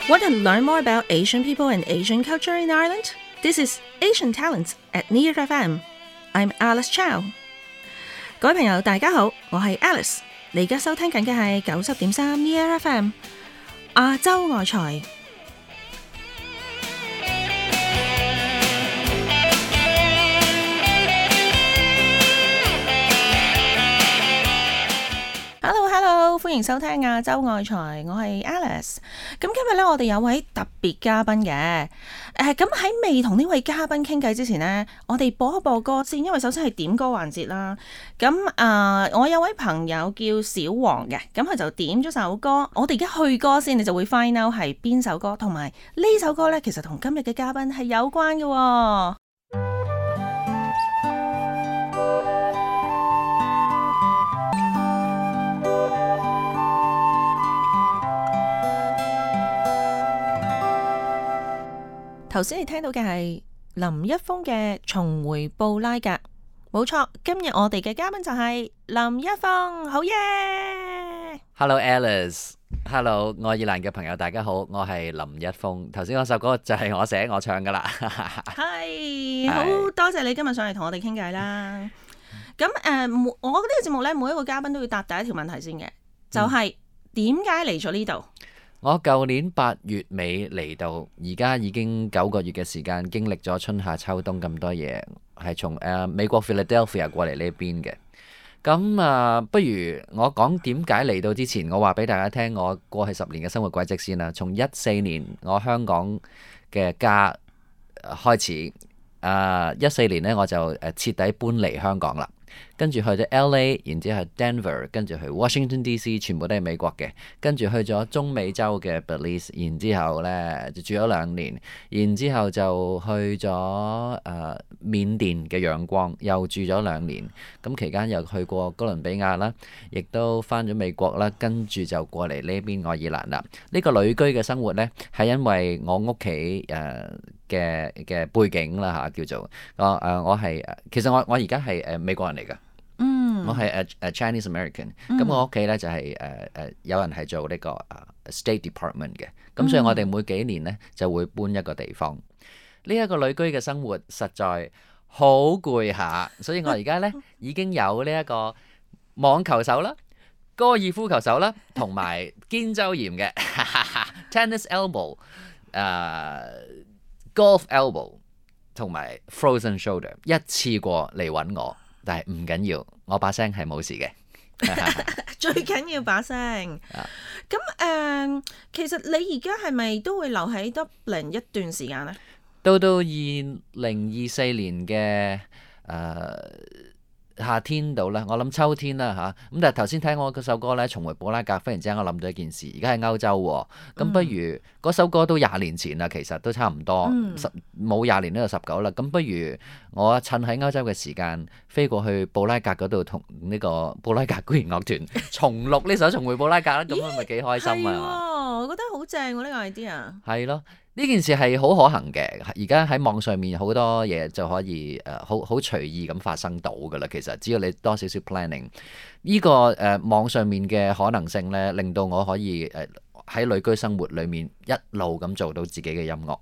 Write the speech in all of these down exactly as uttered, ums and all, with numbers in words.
Want to learn more about Asian people and Asian culture in Ireland? This is Asian Talents at Near F M. I'm Alice Chow. 各位朋友，大家好，我係 Alice。你而家收聽緊嘅係九十點三 Near F M 亞洲外財。Hello Hello， 歡迎收聽亞洲外財，我係 Alice。咁今日咧，我哋有位特別嘉賓嘅。誒，咁喺未同呢位嘉賓傾偈之前呢，我哋播一播歌先，因為首先係點歌環節啦。咁啊、呃，我有位朋友叫小黃嘅，咁佢就點咗首歌。我哋而家去歌先，你就會 find out 係邊首歌，同埋呢首歌咧，其實同今日嘅嘉賓係有關嘅、哦。頭先你聽到嘅係林一峰嘅《重回布拉格》，冇錯。今日我哋嘅嘉賓就係林一峰，好耶 ！Hello Alice，Hello 愛爾蘭嘅朋友，大家好，我係林一峰。頭先嗰首歌就係我寫我唱噶啦，係好多謝你今日上嚟同我哋傾偈啦。咁誒、呃，我呢個節目咧，每一個嘉賓都要答第一條問題先嘅，就係點解嚟咗呢度？我舊年八月尾嚟到，而家已經九個月嘅時間，經歷咗春夏秋冬咁多嘢，係從誒、呃、美國 Philadelphia 過嚟呢邊嘅。咁啊、呃，不如我講點解嚟到之前，我話俾大家聽我過去十年嘅生活軌跡先啦。從一四年我香港嘅家開始，啊一四年呢，我就誒徹底搬離香港啦。跟住去咗 L A， 然之後 Denver， 跟住去 Washington D C， 全部都係美國嘅。跟住去咗中美洲嘅 Belize， 然之後呢就住咗兩年，然之後就去咗誒、呃、緬甸嘅仰光，又住咗兩年。咁期間又去過哥倫比亞啦，亦都翻咗美國啦，跟住就過嚟呢邊愛爾蘭啦。呢、這個旅居嘅生活呢，係因為我屋企誒嘅嘅背景啦嚇，叫做我誒、呃、我係其實我我而家係誒美國人嚟㗎。嗯，我係誒誒 Chinese American，咁、嗯、我屋企咧就係誒誒有人係做呢個誒 State Department 嘅，咁所以我哋每幾年咧就會搬一個地方。呢、這、一個旅居嘅生活實在好攰下，所以我而家咧已經有呢一個網球手啦、高爾夫球手啦，同埋肩周炎嘅tennis elbow、誒 golf elbow 同埋 frozen shoulder， 一次過嚟揾我。但係唔緊要，我把聲係冇事嘅。最緊要把聲。咁誒、呃，其實你而家係咪都會留喺 Dublin 一段時間呢？到到二零二四年嘅誒、呃、夏天度啦，我諗秋天啦嚇。咁但係頭先聽我嗰首歌咧，重回布拉格，忽然之間我諗到一件事，而家喺歐洲喎。咁不如嗰、嗯、首歌都廿年前啦，其實都差唔多，嗯、十冇廿年都有十九啦。咁不如我趁喺歐洲嘅時間，飛過去布拉格嗰度同呢個布拉格管弦樂團重錄呢首《重回布拉格》啦。咁咪幾開心啊！我覺得好正喎呢個 idea。係咯。呢件事係好可行嘅，而家喺網上面好多嘢就可以誒好好隨意咁發生到㗎啦。其實只要你多少少 planning，呢、這個誒、呃、網上面嘅可能性咧，令到我可以誒喺旅居生活裡面一路咁做到自己嘅音樂，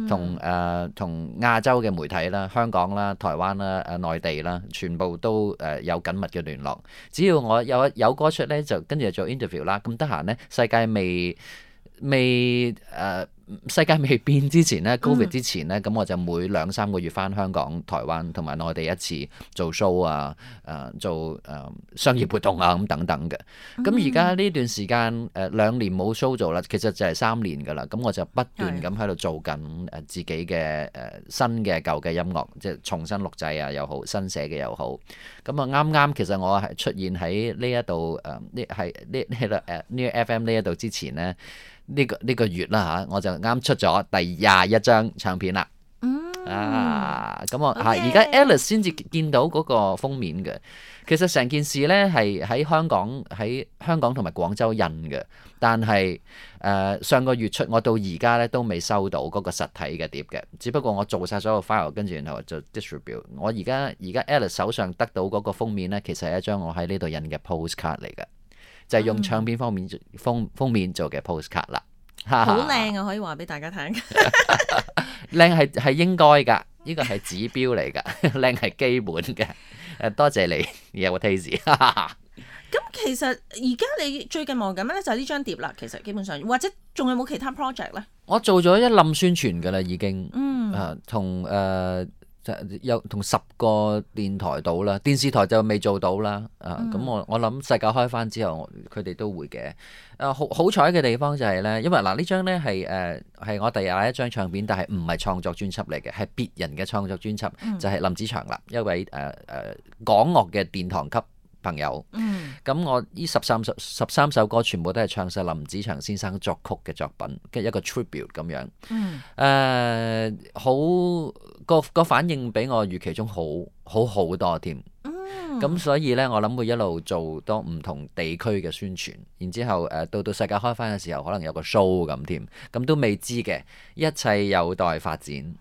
同誒同亞洲嘅媒體啦、香港啦、台灣啦、誒、呃、內地啦，全部都誒有緊密嘅聯絡。只要我有有歌出咧，就跟住做 interview 啦。咁得閒咧，世界未未誒。呃世界未變之前呢 Covid 之前呢，咁、嗯、我就每兩三個月返香港、台灣同埋內地一次做 show 啊，誒、呃、做誒、呃、商業活動啊咁等等嘅。咁而家呢段時間誒、呃、兩年冇 show 做啦，其實就係三年㗎啦。咁我就不斷咁喺度做緊誒自己嘅誒、呃、新嘅舊嘅音樂，即係重新錄製啊又好，新寫嘅又好。咁啊啱啱其實我係出現喺呢一度誒呢係呢呢度誒呢個 F M 呢一度之前呢。呢、這個呢、這個月啦嚇，我就啱出咗第廿一張唱片啦。嗯、啊，咁我嚇而家 Alice 先至見到嗰個封面嘅。其實成件事咧係喺香港喺香港同埋廣州印嘅，但係誒、呃、上個月出，我到而家咧都未收到嗰個實體嘅碟嘅。只不過我做晒所有 file，跟住然後就 distribute。我而家而家 Alice 手上得到嗰個封面咧，其實係一張我喺呢度印嘅 postcard 嚟嘅。就係用唱片封面封封面做嘅 postcard 啦。好靚啊，可以話俾大家聽。靚係係應該㗎，呢個係指標嚟㗎，靚係基本嘅。誒，多謝你有個 taste。咁其實而家你最近忙緊咩咧？就係呢張碟啦。其實基本上，或者仲有冇其他 project 咧？我做咗一冧宣傳㗎啦，已經。嗯。誒，同誒有同十個電台到啦，電視台就未做到啦。啊，咁、嗯、我我諗世界開翻之後，佢哋都會嘅。誒，好好彩嘅地方就係咧，因為嗱呢張咧係誒係我第廿一張唱片，但係唔係創作專輯嚟嘅，係別人嘅創作專輯，嗯、就係林子祥啦，一位誒誒、呃、港樂嘅殿堂級朋友。嗯，咁我呢十三首十三首歌全部都係唱晒林子祥先生作曲嘅作品，嘅一個 tribute 咁樣。嗯，誒、呃，好個個反應比我預期中好好好多添。嗯，咁所以呢，我諗會一路做多唔同地區嘅宣傳，然之後誒、呃、到到世界開翻嘅時候，可能有個 show 咁添，咁都未知嘅，一切有待發展。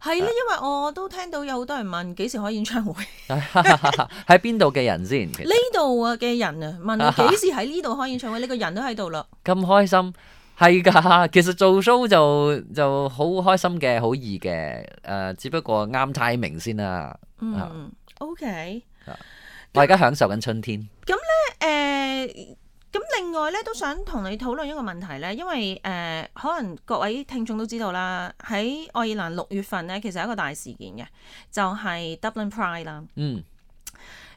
係咧，因為我都聽到有好多人問幾時開演唱會，喺邊度嘅人先？呢度啊嘅人啊問你幾時喺呢度開演唱會，你個人都喺度啦。咁開心係㗎，其實做 show 就就好開心嘅，好易嘅。誒、呃，只不過啱 timing 先啦。嗯，OK。我而家享受緊春天。咁咧誒。咁另外咧，都想同你討論一個問題咧，因為誒、呃、可能各位聽眾都知道啦，喺愛爾蘭六月份咧，其實係一個大事件嘅，就係、是、Dublin Pride 啦。嗯。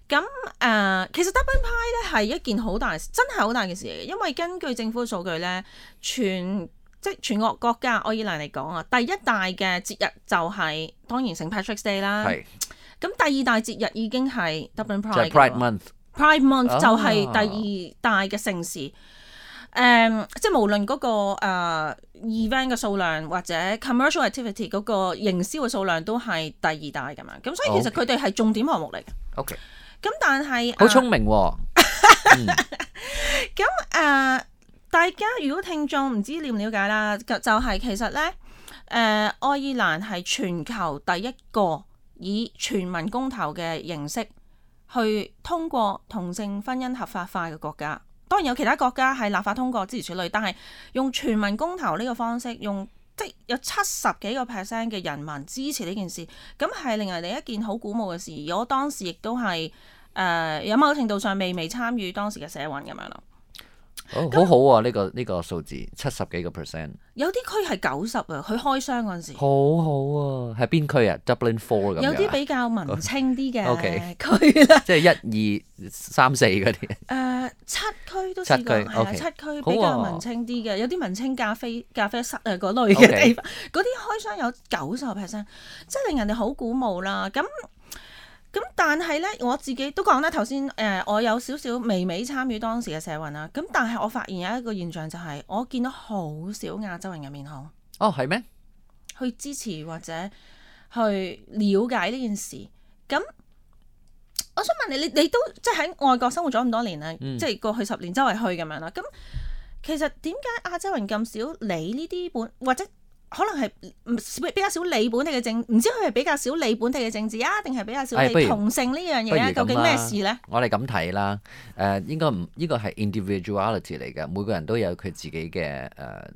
咁誒、呃，其實 Dublin Pride 咧係一件好大，真係好大嘅事嚟嘅，因為根據政府嘅數據咧，全即係全國國家愛爾蘭嚟講啊，第一大嘅節日就係、是、當然聖 Patrick's Day 啦。係。咁第二大節日已經係 Dublin Pride。就 Pride Month。Pride Month 就係第二大嘅盛事，誒、啊嗯，即係無論嗰、那個、呃、event 嘅數量或者 commercial activity 嗰個營銷嘅數量都係第二大㗎嘛，咁所以其實佢哋係重點項目嚟嘅。OK，咁但係好聰明喎、哦。咁誒、嗯呃，大家如果聽眾唔知了唔了解啦，就係、是、其實咧，誒、呃，愛爾蘭係全球第一個以全民公投嘅形式去通過同性婚姻合法化嘅國家，當然有其他國家係立法通過諸如此類，但係用全民公投呢個方式，用即係有七十幾個 percent 嘅人民支持呢件事，咁係令人哋一件好鼓舞嘅事。而我當時亦都係誒有某程度上未未參與當時嘅社運咁樣咯。哦，好好啊！呢、這個呢、這個數字七十幾個 percent，有啲區係九十啊。佢開箱嗰陣時，好好啊！係邊區啊 ？Dublin Four 咁樣。有啲比較文青啲嘅 OK 區啦，即係一二三四嗰啲。誒，七區都試過，係啊，七區比較文青啲嘅，啊、有啲文青咖啡咖啡室啊嗰類嘅地方，嗰啲 Okay. 開箱有九十個 percent，即係令人哋好鼓舞啦。咁。咁但係咧，我自己都講啦，頭先誒，我有少少微微參與當時嘅社運啦。咁但係我發現有一個現象就係、是，我見到好少亞洲人嘅面孔。哦，係咩？去支持或者去了解呢件事。咁我想問你，你你都即係喺外國生活咗咁多年啦，嗯、即係過去十年周圍去咁樣啦。咁其實點解亞洲人咁少理呢啲本或者？可能係比較少理本地嘅政，唔知佢係比較少理本地嘅政治啊，定係比較少理同性呢樣嘢啊？究竟咩事呢？我哋咁睇啦，誒、呃、應該唔呢個係 individuality 嚟嘅，每個人都有佢自己嘅誒、呃、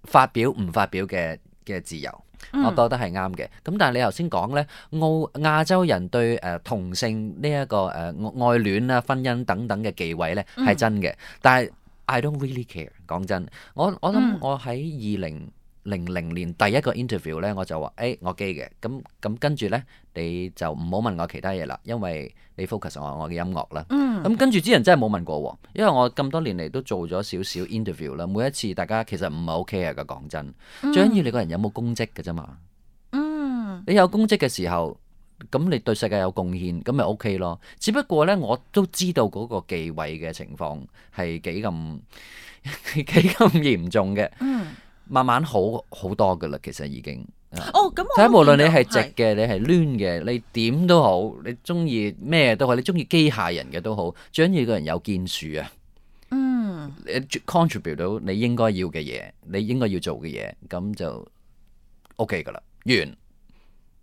發表唔發表嘅嘅自由，嗯、我覺得係啱嘅。咁但係你頭先講呢，澳亞洲人對誒、呃、同性呢、這、一個誒、呃、愛戀啊、婚姻等等嘅忌諱呢係真嘅，嗯、但係 I don't really care。講真，我我諗我喺二零零零年第一個 interview 咧，我就話：誒、欸，我 gay 嘅，咁咁跟住咧，你就唔好問我其他嘢啦，因為你 focus 我我嘅音樂啦。嗯。咁跟住啲人真係冇問過喎，因為我咁多年嚟都做咗少少 interview 啦，每一次大家其實唔係 OK 啊，講真。嗯、最緊要你個人有冇公職嘅啫嘛。嗯。你有公職嘅時候，咁你對世界有貢獻，咁咪 OK 咯。只不過咧，我都知道嗰個忌諱嘅情況係幾咁幾咁嚴重嘅。嗯。慢慢好好多噶啦，其實已經。哦，咁睇下無論你係直嘅，是你係攣嘅，你點都好，你中意咩都好，你中意機械人嘅都好，最緊要個人有建樹啊。嗯。你 contribute 到你應該要嘅嘢，你應該要做嘅嘢，咁就 OK 噶啦，完。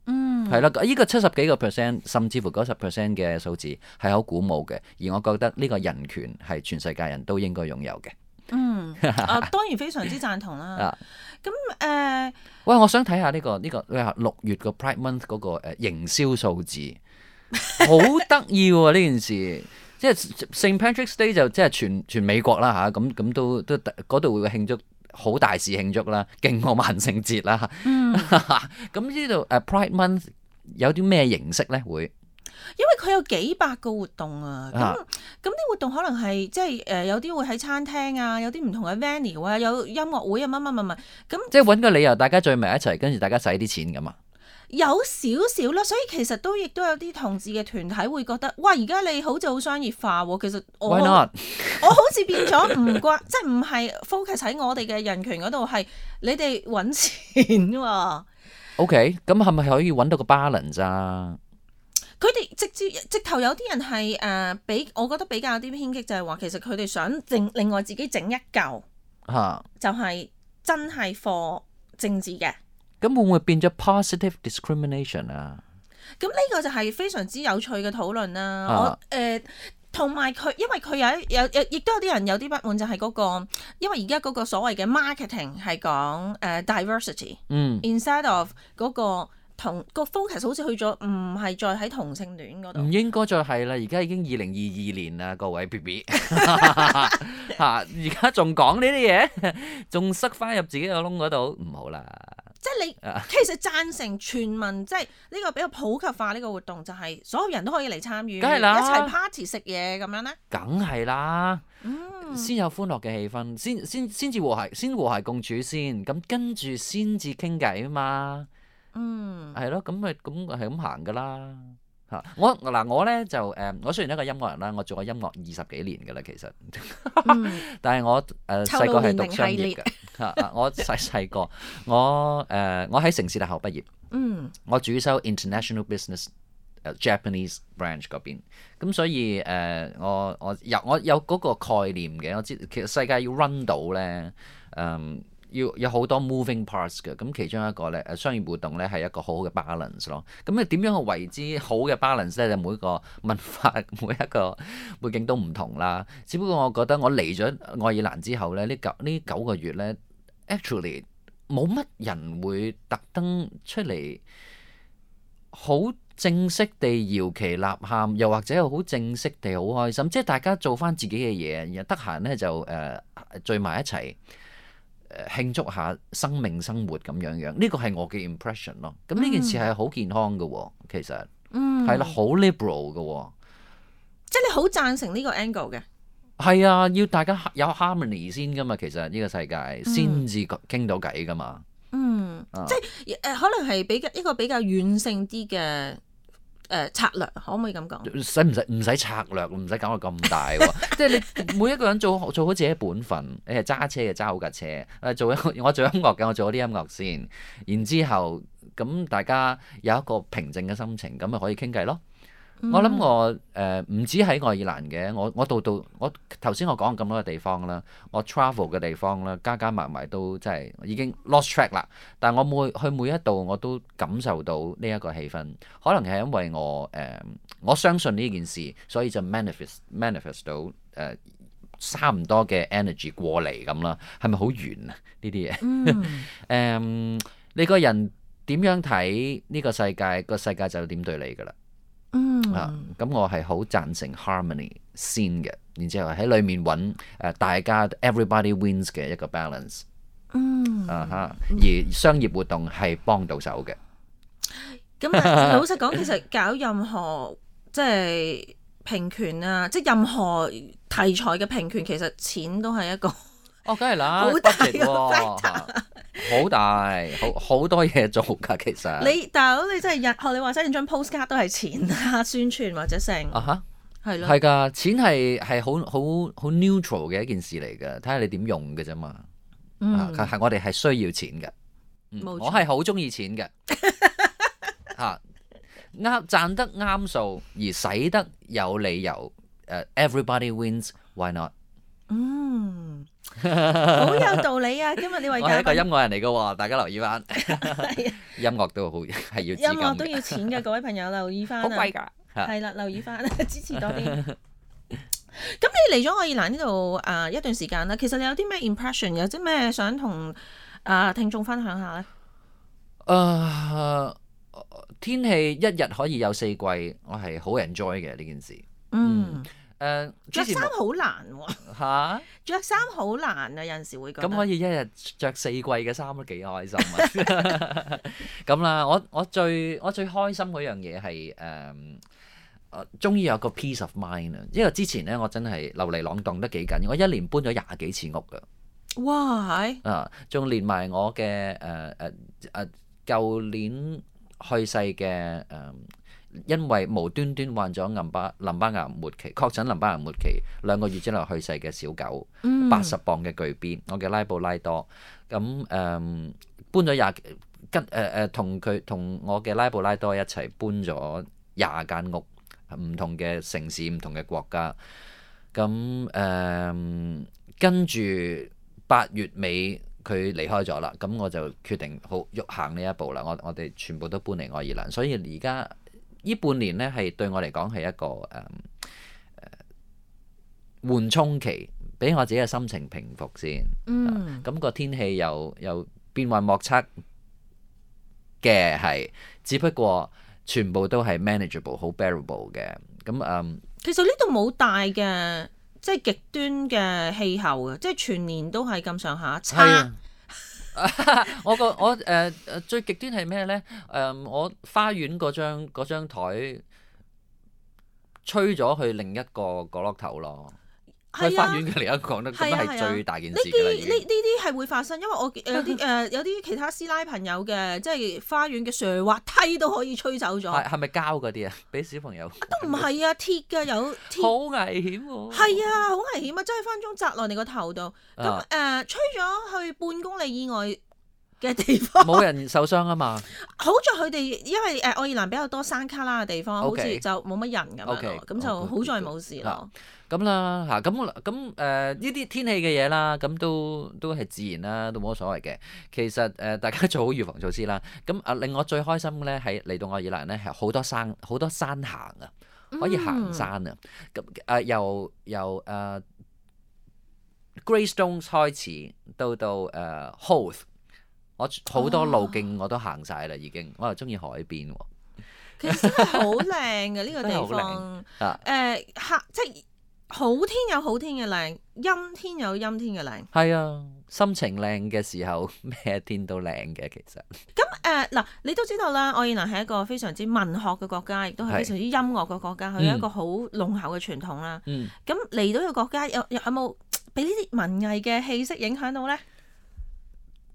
嗯。係啦，呢個七十幾個 percent，甚至乎九十 percent 嘅數字係好鼓舞嘅，而我覺得呢個人權係全世界人都應該擁有嘅。嗯，啊當然非常之贊同啦。咁誒，呃、喂，我想睇下呢、呢個呢、呢個你話六月個 Pride Month 嗰個誒營銷數字，好得意喎呢件事。即係 Saint Patrick's Day 就即係全全美國啦嚇，咁咁都都嗰度會慶祝好大事慶祝啦，勁過萬聖節啦。嗯，咁呢度誒 Pride Month 有啲咩形式咧會？因為佢有幾百個活動啊，咁咁啲活動可能係即係誒有啲會喺餐廳啊，有啲唔同嘅 venue 啊，有音樂會啊，乜乜乜乜咁。即係揾個理由，大家聚埋一齊，跟住大家使啲錢咁啊。有少少啦，所以其實都亦都有啲同志嘅團體會覺得，哇！而家你好似好商業化喎，其實我 Why not? 我好似變咗唔關，即係唔係 focus 喺我哋嘅人權嗰度，係你哋揾錢喎。OK，咁係咪可以揾到個 balance 啊？佢哋直接直頭有啲人係誒，比我覺得比較啲偏激，就係話其實佢哋想另另外自己整一嚿，嚇，就係真係 for 政治嘅。咁會唔會變咗 positive discrimination 啊？咁呢個就係非常之有趣嘅討論啦。啊、我誒同埋佢，因為佢有有有，亦都有啲人有啲不滿，就係嗰個，因為而家嗰個所謂嘅 marketing 係講誒 diversity，嗯，instead of 嗰個。同個 focus 好似去咗，唔係再喺同性戀嗰度。唔應該再係啦，而家已經二零二二年啦，各位 B B 嚇，而家仲講呢啲嘢，仲塞翻入自己個窿嗰度，唔好啦。即係你其實贊成全民，即係呢個比較普及化呢個活動，就係所有人都可以嚟參與，梗係啦，一齊 party 食嘢咁樣咧。梗係啦，嗯，先有歡樂嘅氣氛，先先先至和諧，先和諧共處先，咁跟住先至傾偈啊嘛。嗯，係咯，咁咪咁係咁行噶啦嚇。我嗱我咧就誒，我雖然一個音樂人啦，我做過音樂二十幾年噶啦，其實，嗯、但係我誒細個係讀商業嘅嚇。我細細個，我誒、呃、我喺城市大學畢業，嗯，我主修 International Business、uh, Japanese branch 嗰邊，咁所以誒、呃、我我有我有嗰個概念嘅，我知其實世界要 run 到咧，嗯。要有好多 moving parts 嘅，咁其中一個咧誒商業活動咧係一個好好嘅 balance 咯。咁你點樣去為之好嘅 balance 咧？就每個文化每一個背景都唔同啦。只不過我覺得我嚟咗愛爾蘭之後咧，呢九呢九個月咧 ，actually 冇乜人會特登出嚟好正式地搖旗吶喊，又或者係好正式地好開心，即係大家做翻自己嘅嘢，然後得閒咧就誒、呃、聚埋一齊。慶祝下生命生活咁樣樣，呢個係我嘅 impression 咯。咁呢件事係好健康嘅喎，其實，嗯，係啦，好 liberal 嘅喎，即係你好贊成呢個 angle 嘅。係啊，要大家有 harmony 先噶嘛，其實呢個世界先至傾到偈噶嘛。嗯，啊、即係誒、呃，可能係比較一個比較軟性啲嘅。誒、呃、策略可唔可以咁講？使唔使唔使策略？唔使搞到咁大喎！即係你每一個人做做好自己本分。你係揸車嘅揸好架車，誒做一我做音樂嘅，我做咗啲音樂先。然之後咁大家有一個平靜嘅心情，咁咪可以傾偈咯。嗯、我諗我誒唔、呃、止喺愛爾蘭嘅，我我到到我頭先我講咁多嘅地方啦，我 travel 嘅地方啦，加加埋埋都真係已經 lost track 啦。但係我每去每一度我都感受到呢一個氣氛，可能係因為我誒、呃、我相信呢件事，所以就 manifest manifest 到誒、呃、差唔多嘅 energy 過嚟咁啦。係咪好圓啊？呢啲嘢誒，你個人點樣睇呢個世界，個世界就點對你㗎啦。嗯啊，咁我係好贊成 harmony 先嘅，然之後喺裏面揾誒、呃、大家 everybody wins 嘅一個 balance。嗯啊哈，而商業活動係幫到手嘅。咁啊，老實講，其實搞任何即係平權啊，即係任何題材嘅平權，其實錢都係一個哦，梗係啦，好大嘅 factor。好大，好好多嘢做㗎，其實。你大佬，你真係日學你話齋，張 postcard 都係錢啊，宣傳或者成。啊哈，係咯。係㗎，錢係係好好好 neutral 嘅一件事嚟㗎，睇下你點用嘅啫嘛。嗯。係、啊、我哋係需要錢嘅。嗯、冇錯。我係好中意錢嘅。嚇啱賺得啱數，而使得有理由。誒、uh, ，everybody wins，why not？嗯。好有道理啊！今日呢位嘉賓，我係一個音樂人嚟嘅喎，大家留意翻。音樂都好係要資金嘅，音樂都要錢嘅，各位朋友留意翻啊！好貴㗎，係啦，留意翻，支持多啲。咁你嚟咗愛爾蘭呢度誒一段時間啦，其實你有啲咩 impression，有啲咩想同誒聽眾分享下咧？誒、呃，天氣一日可以有四季，我係好 enjoy 嘅呢件事。嗯。誒，着之前衫好難喎、嚇，着衫好難啊！有陣時會覺得咁可以一日着四季嘅衫都幾開心啊！咁啦，我我最我最開心嗰樣嘢係誒，我終於有個 peace of mind 啊！因為之前咧，我真係流離浪蕩得幾緊，我一年搬咗廿幾次屋㗎。哇係啊，仲連埋我嘅誒誒誒舊年去世嘅誒。呃因為無端端患咗淋巴淋巴癌末期，確診淋巴癌末期，兩個月之內去世嘅小狗，八十、嗯、磅嘅巨邊，我嘅拉布拉多，咁誒、嗯、搬咗廿跟誒誒同佢同我嘅拉布拉多一齊搬咗廿間屋，唔同嘅城市，唔同嘅國家，咁誒、嗯、跟住八月尾佢離開咗啦，咁我就決定好喐行呢一步啦，我我哋全部都搬嚟愛爾蘭，所以而家。呢半年咧係對我嚟講係一個誒誒緩衝期，俾我自己嘅心情平復先。嗯，咁、啊個天氣又又變幻莫測嘅係，只不過全部都係 manageable，好 bearable 嘅。咁嗯，其實呢度冇大嘅即係極端嘅氣候嘅，即係全年都係咁上下差。我個我誒誒、呃、最極端係咩咧？誒、呃、我花園嗰張嗰張台吹咗去另一個角落頭咯。喺花園嘅另一個咧，咁係最大件事㗎啦。呢啲呢呢啲係會發生，因為我有啲誒有啲其他師奶朋友嘅，即係花園嘅瀡滑梯都可以吹走咗。係係咪膠嗰啲啊？俾小朋友都唔係啊，鐵㗎有鐵。好危險喎！係啊，好危險啊！真係分鐘砸落你個頭度。咁誒、啊呃，吹咗去半公里以外嘅地方，冇人受傷啊嘛。好在佢哋因為誒愛爾蘭比較多山卡拉嘅地方， Okay. 好似就冇乜人咁樣咯，咁 Okay. 就好在冇事咯。咁啦嚇，咁咁誒呢啲天氣嘅嘢啦，咁都都係自然啦，都冇乜所謂嘅。其實誒、呃、大家做好預防措施啦。咁啊令我最開心嘅咧係嚟到愛爾蘭咧係好多山好多山行啊，可以行山啊。咁誒、呃、由由誒、呃、Greystones 開始到到誒、呃、Howth， 我好多路徑我都行晒啦已經。我又中意海邊喎。其實真係好靚嘅呢個地方。誒、呃、客即係。好天有好天嘅靚，陰天有陰天嘅靚。係啊，心情靚嘅時候，咩天都靚嘅其實。咁誒嗱，你都知道啦，愛爾蘭係一個非常之文學嘅國家，亦都係非常之音樂嘅國家，佢有一個好濃厚嘅傳統啦。嗯。咁嚟到呢個國家，有有有冇俾呢啲文藝嘅氣息影響到咧？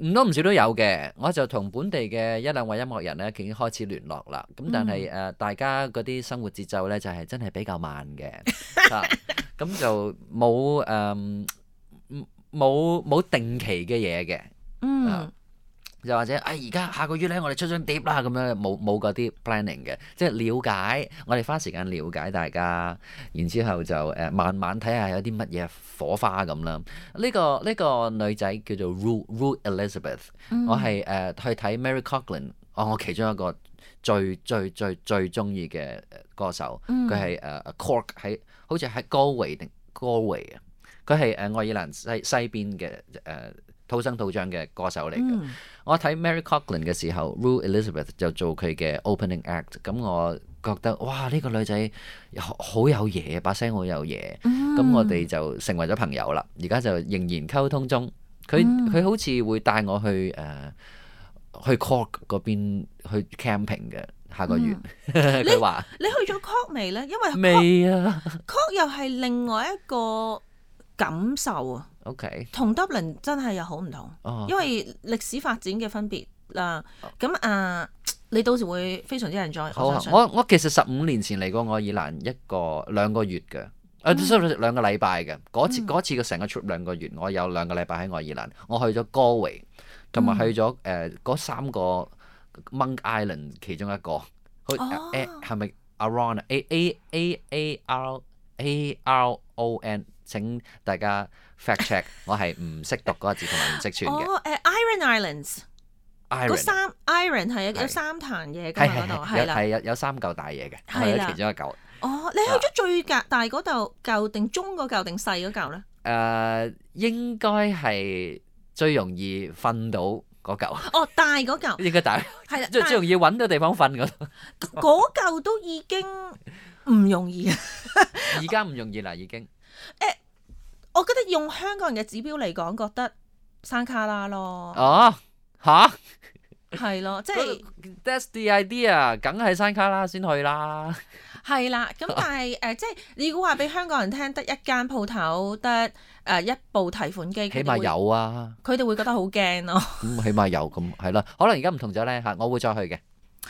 唔多唔少都有嘅，我就同本地嘅一兩位音樂人咧已經開始聯絡啦。咁但係誒、呃，大家嗰啲生活節奏咧就係、是、真係比較慢嘅，啊，咁就冇誒冇冇定期嘅嘢嘅，嗯。啊又或者，哎，而家下個月咧，我哋出張碟啦，咁樣冇冇嗰啲 planning 嘅，即係了解，我哋花時間了解大家，然之後就誒、呃、慢慢睇下有啲乜嘢火花咁啦。呢、這個呢、這個女仔叫做 Ruth Ruth Elizabeth，嗯、我係誒、呃、去睇 Mary Coughlan，哦，我其中一個最最最最中意嘅歌手，佢係誒 Cork 喺，好似喺 Galway 定 Galway 啊，佢係誒愛爾蘭西西邊嘅誒。呃土生土長嘅歌手嚟嘅，嗯、我睇 Mary Coughlan 嘅時候 Ruth Elizabeth 就做佢嘅 opening act，咁我覺得哇呢、呢個女仔好有嘢，把聲好有嘢，咁、嗯、我哋就成為咗朋友啦。而家就仍然溝通中，佢佢、嗯、好似會帶我去誒、呃、去 Cork 嗰邊去 camping 嘅下個月。佢話、嗯、你去咗 Cork 未咧？因為未啊 Cork 又係另外一個感受啊。OK，同 Dublin 真係又好唔同，哦、因為歷史發展嘅分別啦。咁啊、呃，你到時會非常之 enjoy。好啊，我我其實十五年前嚟過愛爾蘭一個兩個月嘅，啊，所以兩個禮拜嘅嗰次嗰、嗯、次嘅成個 trip 兩個月，我有兩個禮拜喺愛爾蘭，我去咗 Galway， 同埋去咗誒嗰三個 Monk Island 其中一個，好誒係咪 Aron A A A A R A R O N？ 請大家 fact check， 我係唔識讀嗰個字同埋唔識串嘅。哦，誒 Iron Islands，嗰三 Iron 係有三壇嘢㗎嘛嗰度，係啦，係有有三嚿大嘢嘅，係其中一嚿。哦，你去咗最大大嗰嚿嚿定中嗰嚿定細嗰嚿咧？誒、呃、應該係最容易瞓到嗰嚿，哦，大嗰嚿應該大，係啦，最最容易揾到地方瞓嗰度。嗰嚿都已經唔容易啊！而家唔容易啦，已經。我覺得用香港人嘅指標嚟講，覺得山卡拉咯，哦，吓？係咯，即係 That's the idea，梗係山卡拉先去啦。係啦。咁但係誒、呃，即係你如果話俾香港人聽，得一間鋪頭，得誒、呃、一部提款機，起碼有啊。佢哋會覺得好驚咯。咁、嗯、起碼有咁係啦。可能而家唔同咗咧嚇，我會再去嘅。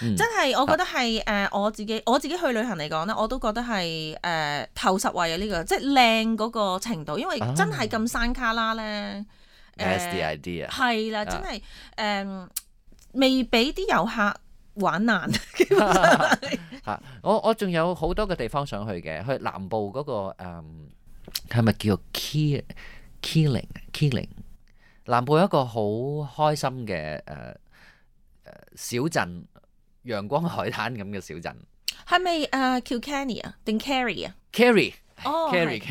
嗯、真係，我覺得係誒、呃、我自己我自己去旅行嚟講咧，我都覺得係誒、呃、頭十位啊！呢、呢個即係靚嗰個程度，因為真係咁山卡拉咧。That's the idea。係啦，真係誒、呃、未俾啲遊客玩難。嚇！我我仲有好多嘅地方想去嘅，去南部嗰、嗰個誒係咪叫 Key Keeling Keeling？南部有一個好開心嘅誒誒小鎮。陽光海灘咁嘅小鎮，係咪誒 Kilkenny 啊定 Kerry 啊 ？Kerry，哦 Kerry，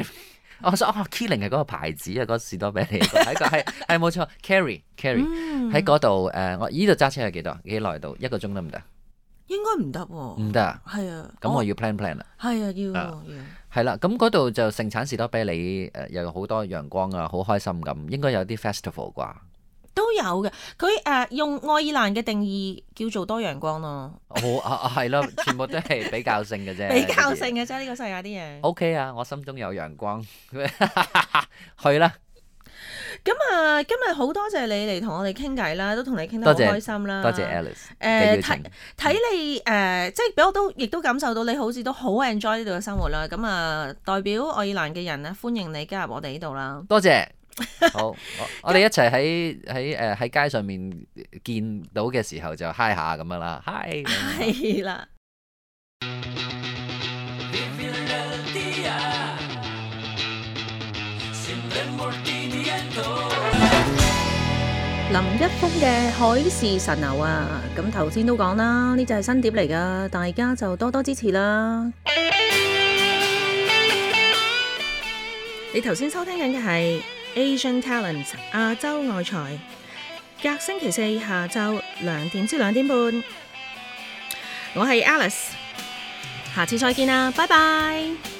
我想哦 Keeling 係嗰個牌子啊，嗰個士多啤梨喺個係係冇錯 Kerry，Kerry 喺嗰度誒，我依度揸車係幾多幾耐到？一個鐘得唔得？應該唔得喎，唔得啊？係啊，咁我要 plan plan 啦。係啊，要啊要係啦，咁嗰度就盛產士多啤梨誒，又有好多陽光啊，好開心咁，應該有啲 festival 啩。都有嘅，佢誒、呃、用愛爾蘭嘅定義叫做多陽光咯。好啊，係咯，全部都係比較性嘅啫。比較性嘅啫，呢個世界啲嘢。O K 啊，我心中有陽光，去啦。咁啊，今日好多謝你嚟同我哋傾偈啦，都同你傾得好開心啦。多謝 Alice 誒，睇睇你誒、呃，即係俾我都亦都感受到你好似都好 enjoy 呢度嘅生活啦。咁啊，代表愛爾蘭嘅人咧，歡迎你加入我哋呢度啦。多謝。好，我我哋一齊喺喺誒喺街上面見到嘅時候就嗨下咁樣啦，嗨係啦。林一峰嘅海市蜃樓啊，咁頭先都講啦，呢隻係新碟嚟噶，大家就多多支持啦。你頭先收聽緊嘅係Asian Talent 亞洲外才，隔星期四下晝兩點至兩點半，我係 Alice，下次再見啦，拜拜。